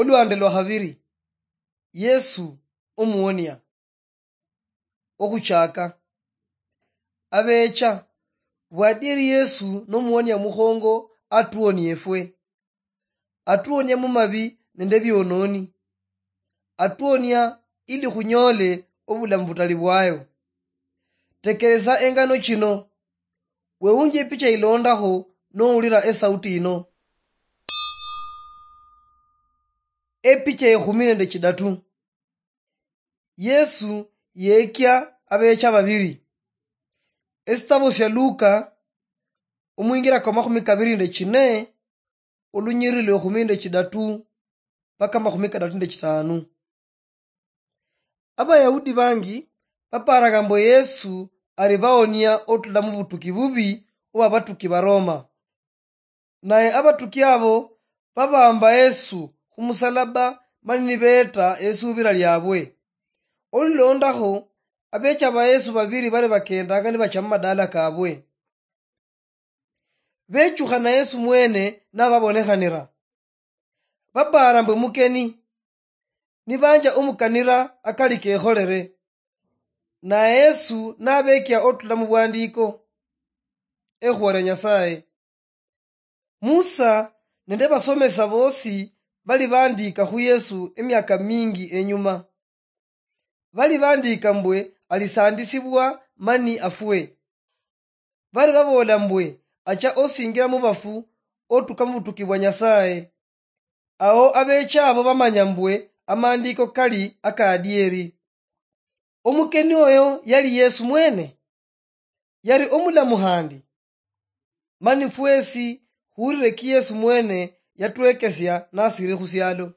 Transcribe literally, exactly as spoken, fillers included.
Olwande lwa khabiri, Yesu omuwonia. Okhuchaka. Abecha, bwadieri Yesu nomuwonia mukhongo atuwonia efwe. Atuwonia mumabi nende ebiononi. Atuwonia ili khunyole obulamu butali bwayo. Tekeresa engano chino. Wewunje epicha ilondakho nowulira esauti ino. Epicha ekhumi nende chidatu. Yesu yekia abecha babiri. Esitabo sia Luka, omwingira kwa makhumi kabiri nende chine, olunyiriri lwa ekhumi nende chidatu mpaka makhumi kadatu nende chitanu. Abayahudi bangi baparanga mbu Yesu ari baonia otula mubutuki bubi obwa batuki ba Roma. Naye abatuki abo babamba Yesu khumusalaba mani nibeeta esubira liabwe. Olulondakho, abecha ba Yesu babiri bari bakendanga nibacha mumadala kabwe. Bechukhana Yesu mwene nababonekhanira. Bapaara mbu mukeni, nibanja omukanira akali kekholere. Naye Yesu nabekia otula mubwandiko, ekhuwere Nyasaye. Musa nende basomesa bosi bali bandika khu Yesu emiaka mingi enyuma. Bali bandika mbwe alisandisibwa mani afwe. Bari baboola mbwe acha osingira mubafu otuka mubutuki bwa Nyasaye. Ao abecha abo bamanya mbwe amandiko kali akadieri. Omukeni oyo yali Yesu mwene. Yali omulamu khandi. Mani fwesi khurire ki Yesu mwene yatwekesia nasiri khusialo.